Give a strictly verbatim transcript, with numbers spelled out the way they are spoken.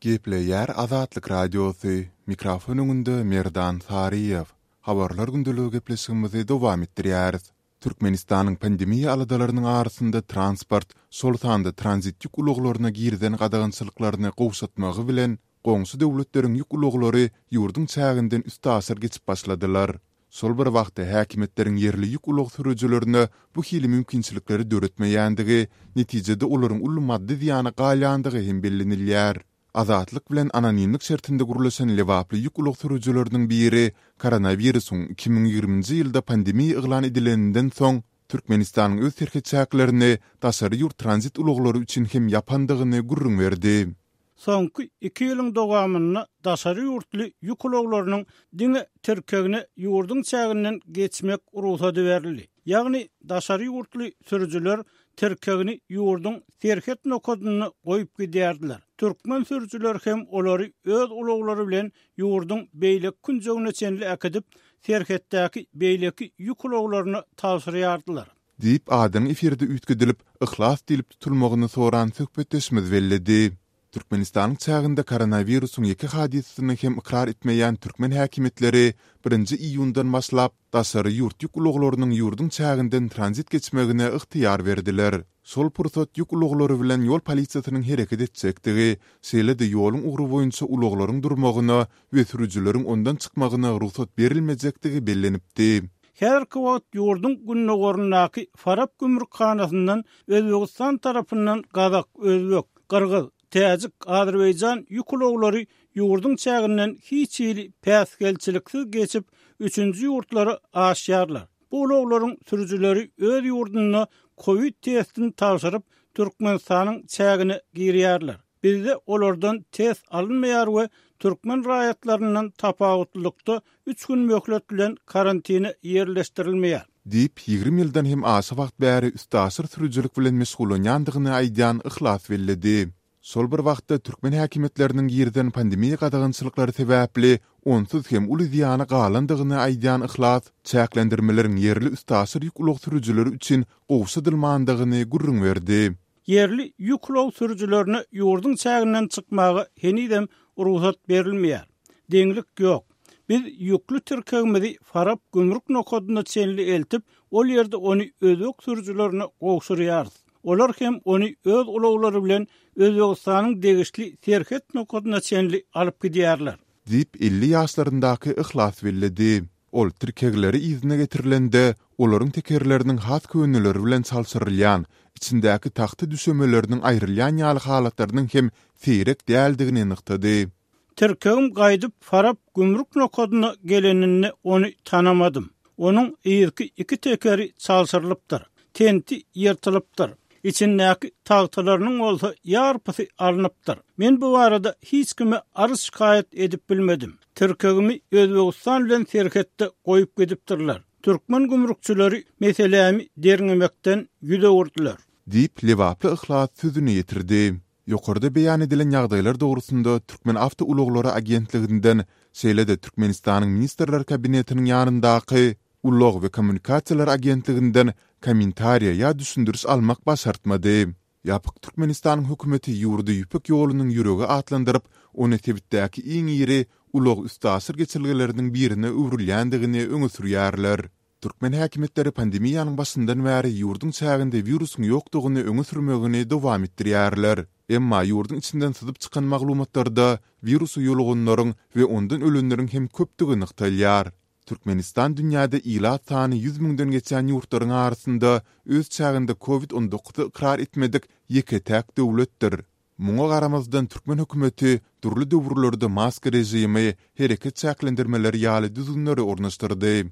Gepleýär Azatlyk Radiosy, mikrofon öňünde Merdan Saryýew. Habarlar gündeligi gepleşigimizi dowam etdirýäris. Türkmenistanyň pandemiýa aladalarynyň arasynda transport, şol sanda tranzit ýük ulaglaryna girizen gadagançylyklaryny gowşatmagy bilen, goňşy döwletleriň ýük ulaglary ýurduň çäginden üstaşyr geçip başladylar. Şol bir wagtda häkimiýetleriň ýerli ýük ulag sürüjilerine bu hili mümkinçilikleri döretmeýändigi, netijede olaryň uly maddy zyýana galýandygy hem bellenilýär. Azatlyk bilen anonimlik şertinde gürleşen lebaply ýük ulag sürüjileriniň biri koronawirusyň iki müň ýigriminji ýylda pandemiýa yglan edileninden soň Türkmenistanyň öz serhet çäklerini daşary ýurt tranzit ulaglary üçin hem ýapandygyny gürrüň berdi. Soňky iki ýylyň dowamynda daşary ýurtly ýük ulaglarynyň diňe tirkegine ýurduň çäginden geçmek rugsady berildi. Ýagny daşary ýurtly sürüjiler tirkegini ýurduň serhet nokadynda goýup gidýärdiler. Türkmen sürüjileri hem olary öz ulaglary bilen ýurduň beýleki künjegine çenli äkidip, serhetdäki beýleki ýük ulaglaryna tabşyrýardylar. Diýip, adynyň efirde üýtgedilip, Yhlas diýlip tutulmagyny soran söhbetdeşimiz belledi. Türkmenistanyň çäginde koronawirusyň ýeke hadysasyny hem ykrar etmeýän türkmen häkimiýetleri birinji iýundan başlap, daşary ýurt ýük ulaglarynyň ýurduň çäginden tranzit geçmegine ygtyýar berdiler. Şol pursat ýük ulaglary bilen ýol polisiýasynyň hereket etjekdigi, şeýle-de ýoluň ugry boýunça ulaglaryň durmagyna we sürüjileriň ondan çykmagyna rugsat berilmejekdigi bellenipdi. Häzirki wagt ýurduň gündogaryndaky Farap gümrükhanasyndan Özbegistan tarapyndan gazak, özbek, gyrgyz, täjik, azerbaýjan ýük ulaglary ýurduň çäginden hiç hili päsgelçiliksiz geçip, üçünji ýurtlara aşýarlar. Bu ulaglaryň sürüjileri öz ýurdunda kowid testini tabşyryp, Türkmenistanyň çägine girýärler. Bizde olardan test alynmaýar we türkmen raýatlaryndan tapawutlylykda üç gün möhlet bilen karantine ýerleşdirilmeýär. Diýip, ýigrimi ýyldan hem aşa wagt bäri üstaşyr sürüjilik bilen meşgullanýandygyny aýdýan Yhlas belledi. Şol bir wagtda türkmen häkimiýetleriniň girizen pandemiýa gadagançylyklary sebäpli onsuz hem uly zyýana galandygyny aýdýan Yhlas çäklendirmeleriň ýerli üstaşyr ýük ulag sürüjileri üçin gowşadylmandygyny gürrüň berdi. Ýerli ýük ulag sürüjilerine ýurduň çäginden çykmaga henizem rugsat berilmeýär. Deňlik ýok. Biz ýükli tirkegimizi Farap gümrük nokadyna çenli eltip, ol ýerde ony özbek sürüjilerine gowşurýarys. Olar hem ony öz ulaglary bilen Özbegistanyň degişli serhet nokadyna çenli alyp gidýärler. Diýip, elli ýaşlaryndaky Yhlas belledi. Ol tirkegleri yzyna getirilende, olaryň tekerleriniň has köneleri bilen çalşyrylýan, içindäki tagta düşemeleriniň aýrylýan ýaly halatlarynyň hem seýrek däldigini nygtady. Tirkegim gaýdyp Farap gümrük nokadyna geleninde ony tanamadym. Onuň yzky iki tekeri çalşyrylypdyr. Tenti ýyrtylypdyr. Içindäki tagtalarynyň bolsa ýarpysy alnypdyr. Men bu barada hiç kime arz-şikaýat edip bilmedim. Tirkegimi Özbegistan bilen serhetde goýup gidipdirler. Türkmen gümrükçileri meselämi derňemekden ýüz öwürdiler. Diýip, lebaply Yhlas sözüni ýetirdi. Ýokarda beýan edilen ýagdaýlar dogrusynda Türkmen awtoulaglary agentliginden, şeýle-de Türkmenistanyň Ministrler Kabinetiniň ýanyndaky Ulag we kommunikasiýalar agentliginden kommentariýa ýa düşündiriş almak başartmady. Ýapyk Türkmenistanyň hökümeti ýurdy Ýüpek ýolunyň ýüregi atlandyryp, ony sebitdäki iň iri ulag-üstaşyr geçelgeleriniň birine öwrülýändigini öňe sürýärler. Türkmen häkimiýetleri pandemiýanyň başyndan bäri ýurduň çäginde wirusyň ýokdugyny öňe sürmegini dowam etdirýärler. Emma ýurduň içinden syzyp çykan maglumatlarda wirusa ýoluganlaryň we ondan ölenleriň hem köpdügi nygtalýar. Türkmenistan dünýäde ilat sany ýüz müňden geçýän ýurtlaryň arasynda öz çäginde kowid on dokuzy ykrar etmedik ýeke-täk döwletdir. Muňa garamazdan türkmen hökümeti dürli döwürlerde maska režimi, hereket çäklendirmeleri ýaly düzgünleri ornaşdyrdy.